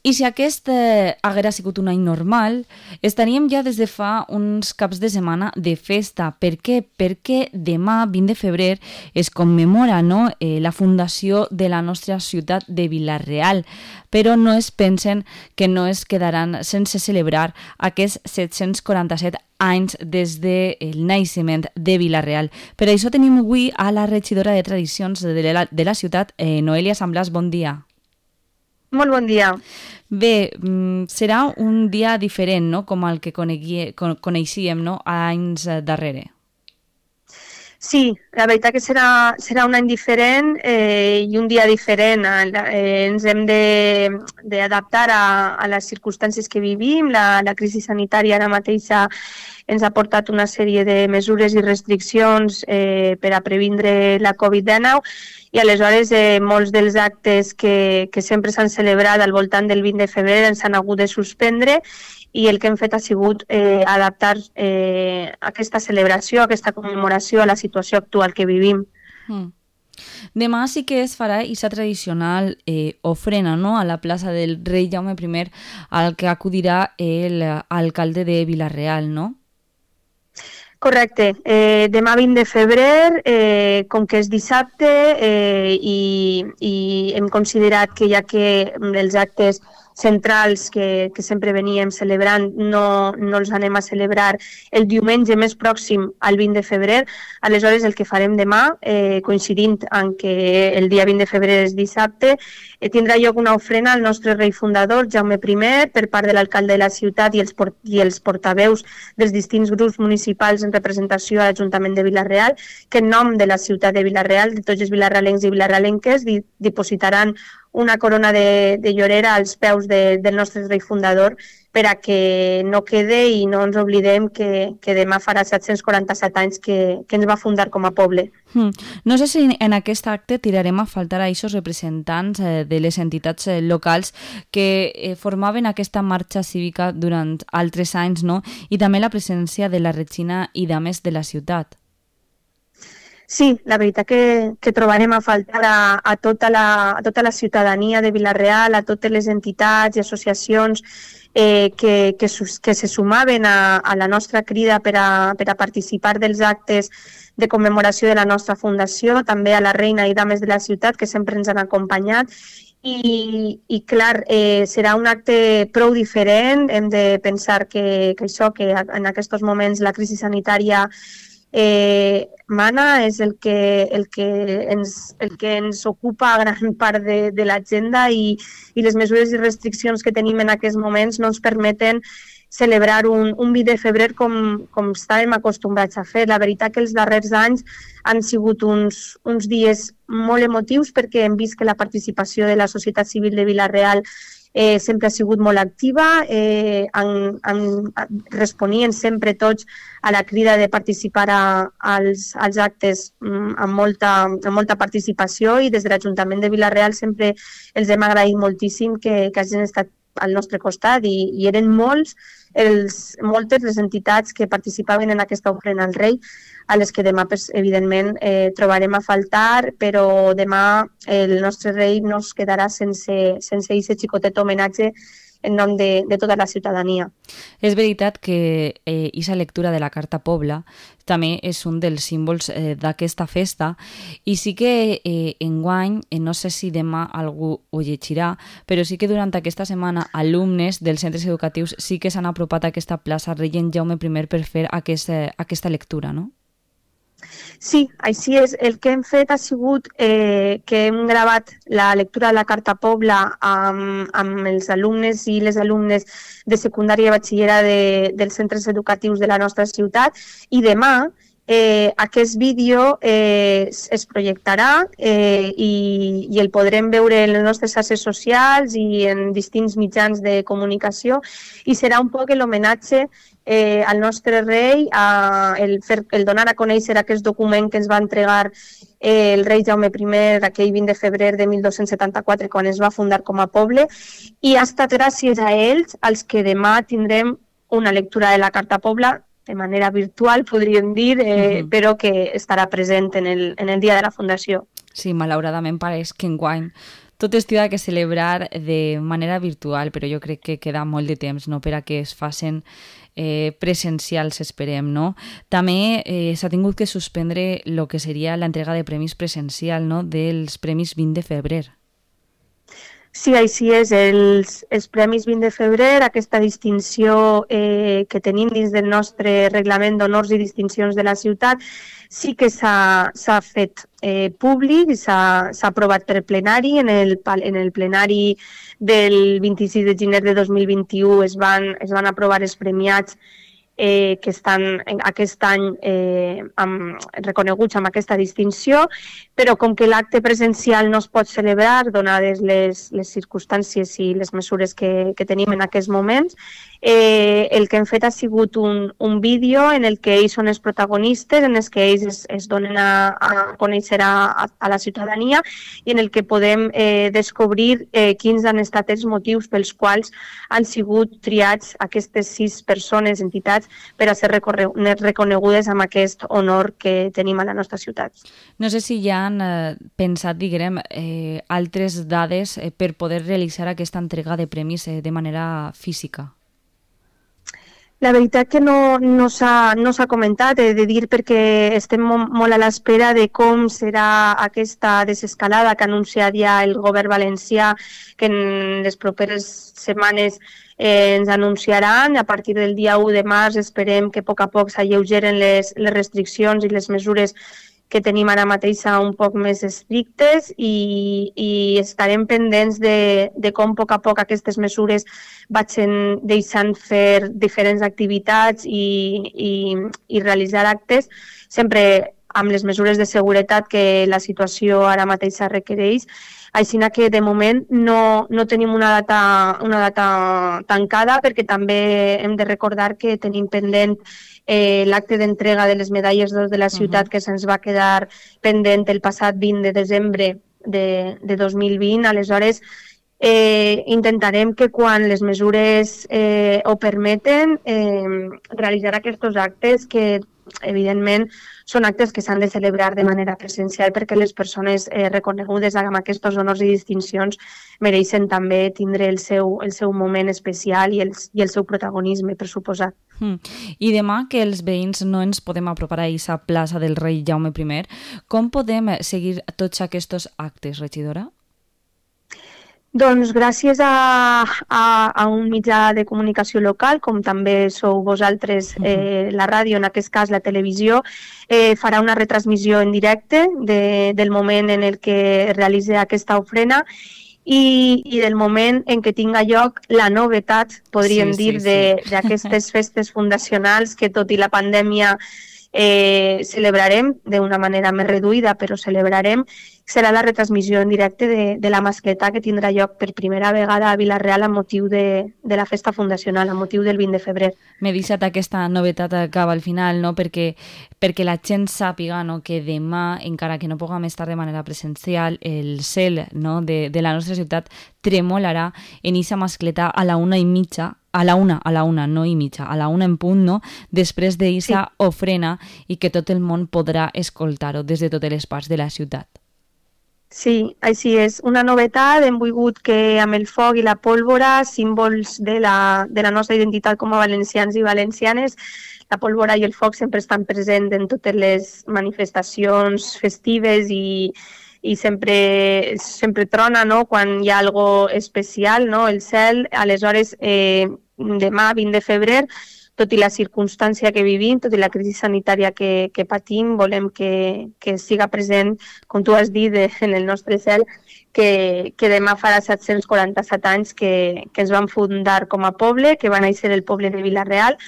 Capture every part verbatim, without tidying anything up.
I si aquest eh, haguera sigut un any normal, estaríem ja des de fa uns caps de setmana de festa. Per què? Perquè demà, vint de febrer, es commemora, no?, eh, la fundació de la nostra ciutat de Vila-real. Però no es pensen que no es quedaran sense celebrar aquests set-cents quaranta-set anys des del naixement de Vila-real. Per això tenim avui a la regidora de Tradicions de la, de la ciutat, eh, Noelia Samblàs. Bon dia. Molt bon dia. Bé, serà un dia diferent, no?, com el que conegui, coneixíem, no?, anys darrere. Sí, la veritat que serà, serà un any diferent eh, i un dia diferent. Eh, ens hem d'adaptar a, a les circumstàncies que vivim. La, la crisi sanitària ara mateixa ens ha portat una sèrie de mesures i restriccions eh, per a previndre la covid dinou i aleshores eh, molts dels actes que, que sempre s'han celebrat al voltant del vint de febrer ens han hagut de suspendre i el que hem fet ha sigut eh, adaptar eh, aquesta celebració, aquesta commemoració a la situació actual que vivim. Mm. Demà sí que es farà aquesta tradicional eh, ofrena, no?, a la plaça del rei Jaume primer, al que acudirà l'alcalde de Vila-real, no? Correcte. Eh, demà vint de febrer, eh, com que és dissabte eh, i, i hem considerat que ja que els actes centrals que, que sempre veníem celebrant no, no els anem a celebrar el diumenge més pròxim al vint de febrer, aleshores el que farem demà, eh, coincidint en que el dia vint de febrer és dissabte, eh, tindrà lloc una ofrena al nostre rei fundador, Jaume primer, per part de l'alcalde de la ciutat i els, port i els portaveus dels distints grups municipals en representació a l'Ajuntament de Vila-real, que en nom de la ciutat de Vila-real, de tots els vilarrealencs i vilarrealenques, di dipositaran una corona de, de llorera als peus de, del nostre rei fundador per a que no quede i no ens oblidem que, que demà farà set-cents quaranta-set anys que, que ens va fundar com a poble. Hmm. No sé si en aquest acte tirarem a faltar a aquests representants eh, de les entitats eh, locals que eh, formaven aquesta marxa cívica durant altres anys, no?, i també la presència de la Regina i dames de la ciutat. Sí, la veritat que, que trobarem a faltar a, a, tota la, a tota la ciutadania de Vila-real, a totes les entitats i associacions eh, que, que, que se sumaven a, a la nostra crida per a, per a participar dels actes de commemoració de la nostra fundació, també a la reina i dames de la ciutat que sempre ens han acompanyat. I, i clar, eh, serà un acte prou diferent. Hem de pensar que, que això, que en aquests moments la crisi sanitària Eh, mana és el que, el, que ens, el que ens ocupa gran part de, de l'agenda i, i les mesures i restriccions que tenim en aquests moments no ens permeten celebrar un, un vint de febrer com, com estàvem acostumbrats a fer. La veritat que els darrers anys han sigut uns, uns dies molt emotius perquè hem vist que la participació de la societat civil de Vila-real Eh, sempre ha sigut molt activa, eh, en, en, responien sempre tots a la crida de participar a, als, als actes mm, amb, molta, amb molta participació i des de l'Ajuntament de Vila-real sempre els hem agraït moltíssim que, que hagin estat al nostre costat i, i eren molts els, moltes les entitats que participaven en aquesta ofrena al rei, a les que demà, pues, evidentment, eh, trobarem a faltar, però demà el nostre rei no es quedarà sense, sense aquest xicotet homenatge en nom de, de tota la ciutadania. És veritat que aquesta eh, lectura de la Carta Pobla també és un dels símbols eh, d'aquesta festa i sí que eh, enguany, eh, no sé si demà algú ho llegirà, però sí que durant aquesta setmana alumnes dels centres educatius sí que s'han apropat a aquesta plaça Rei Jaume primer per fer aquest, eh, aquesta lectura, no? Sí, així és. El que hem fet ha sigut eh, que hem gravat la lectura de la Carta Pobla amb, amb els alumnes i les alumnes de secundària i batxillerat de, dels centres educatius de la nostra ciutat i demà eh, aquest vídeo eh, es projectarà eh, i, i el podrem veure en les nostres xarxes socials i en distints mitjans de comunicació i serà un poc l'homenatge Eh, al nostre rei, a el, fer, el donar a conèixer aquest document que ens va entregar eh, el rei Jaume primer aquell vint de febrer de mil dos-cents setanta-quatre quan es va fundar com a poble i ha estat gràcies a ells als que demà tindrem una lectura de la Carta Pobla de manera virtual, podríem dir, eh, uh-huh. però que estarà present en el, en el dia de la fundació. Sí, malauradament pareix que enguany tot es ha que celebrar de manera virtual, però jo crec que queda molt de temps, no?, per a que es facin eh, presencials, esperem, no? També eh, s'ha tingut que suspendre el que seria l'entrega de premis presencial, no?, dels Premis vint de febrer. Sí, així és. Els, els Premis vint de febrer, aquesta distinció eh, que tenim dins del nostre reglament d'honors i distincions de la ciutat, sí que s'ha fet eh, públic, s'ha aprovat per plenari. En el, en el plenari del vint-i-sis de gener de dos mil vint-i-u es van, es van aprovar els premiats eh, que estan aquest any eh, amb, reconeguts amb aquesta distinció, però com que l'acte presencial no es pot celebrar, donades les, les circumstàncies i les mesures que, que tenim en aquests moments, eh, el que hem fet ha sigut un, un vídeo en el que ells són els protagonistes, en el que ells es, es donen a, a conèixer a, a la ciutadania i en el que podem eh, descobrir eh, quins han estat els motius pels quals han sigut triats aquestes sis persones, entitats, per a ser reconegudes amb aquest honor que tenim a la nostra ciutat. No sé si ja han eh, pensat, diguem, eh, altres dades eh, per poder realitzar aquesta entrega de premis eh, de manera física. La veritat que no, no s'ha no s'ha comentat, he de dir, perquè estem molt a l'espera de com serà aquesta desescalada que ha anunciat ja el govern valencià, que en les properes setmanes eh, ens anunciaran. A partir del dia u de març esperem que a poc a poc s'alleugeren les, les restriccions i les mesures que tenim ara mateix un poc més estrictes i, i estarem pendents de, de com a poc a poc aquestes mesures vagin deixant fer diferents activitats i, i, i realitzar actes, sempre amb les mesures de seguretat que la situació ara mateix requereix. Així que de moment no, no tenim una data, una data tancada, perquè també hem de recordar que tenim pendent eh, l'acte d'entrega de les medalles d'or de la ciutat, uh-huh. que se'ns va quedar pendent el passat vint de desembre de, de dos mil vint. Aleshores, eh, intentarem que quan les mesures eh, ho permeten eh, realitzar aquests actes que evidentment són actes que s'han de celebrar de manera presencial, perquè les persones eh, reconegudes amb aquests honors i distincions mereixen també tindre el seu, el seu moment especial i el, i el seu protagonisme, per suposat. Mm. I demà, que els veïns no ens podem apropar a aquesta plaça del rei Jaume primer, com podem seguir tots aquests actes, regidora? Doncs gràcies a, a, a un mitjà de comunicació local, com també sou vosaltres, eh, la ràdio, en aquest cas la televisió, eh, farà una retransmissió en directe de, del moment en el que realitza aquesta ofrena i, i del moment en què tinga lloc la novetat, podríem sí, dir, sí, sí. d'aquestes festes fundacionals que, tot i la pandèmia, eh, celebrarem d'una manera més reduïda, però celebrarem. Serà la retransmissió en directe de, de la mascleta que tindrà lloc per primera vegada a Vila-real amb motiu de, de la festa fundacional, amb motiu del vint de febrer. M'he deixat aquesta novetat acaba al final, no? perquè, perquè la gent sàpiga, no? que demà, encara que no puguem estar de manera presencial, el cel, no? de, de la nostra ciutat tremolarà en aquesta mascleta a la una i mitja, a la una, a la una, no i mitja, a la una en punt, no? Després d'eixa sí. ofrena, i que tot el món podrà escoltar-ho des de totes les parts de la ciutat. Sí, així és. Una novetat, hem volgut que amb el foc i la pólvora, símbols de la, de la nostra identitat com a valencians i valencianes, la pólvora i el foc sempre estan presents en totes les manifestacions festives i, i sempre, sempre trona, no? Quan hi ha algo especial, no? El cel. Aleshores, eh, demà, vint de febrer, tot i la circumstància que vivim, tot i la crisi sanitària que, que patim, volem que, que siga present, com tu has dit, en el nostre cel, que, que demà farà set-cents quaranta-set anys que, que ens vam fundar com a poble, que va néixer el poble de Vila-real,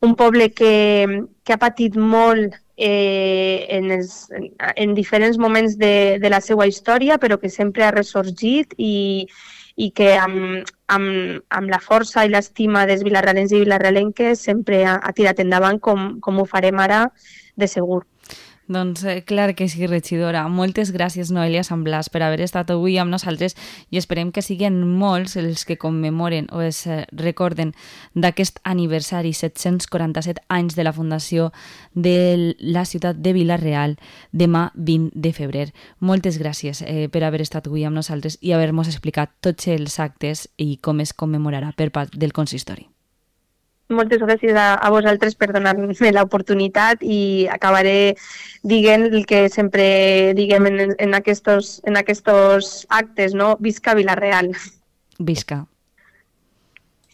un poble que, que ha patit molt eh, en, els, en diferents moments de, de la seva història, però que sempre ha ressorgit i, i que amb, amb, amb la força i l'estima dels vilarrealens i vilarrealenques sempre ha, ha tirat endavant com, com ho farem ara de segur. Doncs eh, clar que sí, regidora. Moltes gràcies, Noelia Samblàs, per haver estat avui amb nosaltres i esperem que siguin molts els que commemoren o es eh, recorden d'aquest aniversari, set-cents quaranta-set anys de la fundació de la ciutat de Vila-real, demà vint de febrer. Moltes gràcies eh, per haver estat avui amb nosaltres i haver-nos explicat tots els actes i com es commemorarà per part del consistori. Moltes gràcies a, a vosaltres per donar-me l'oportunitat i acabaré dient el que sempre diguem en, en, aquestos, en aquestos actes, no? Visca Vila-real. Visca.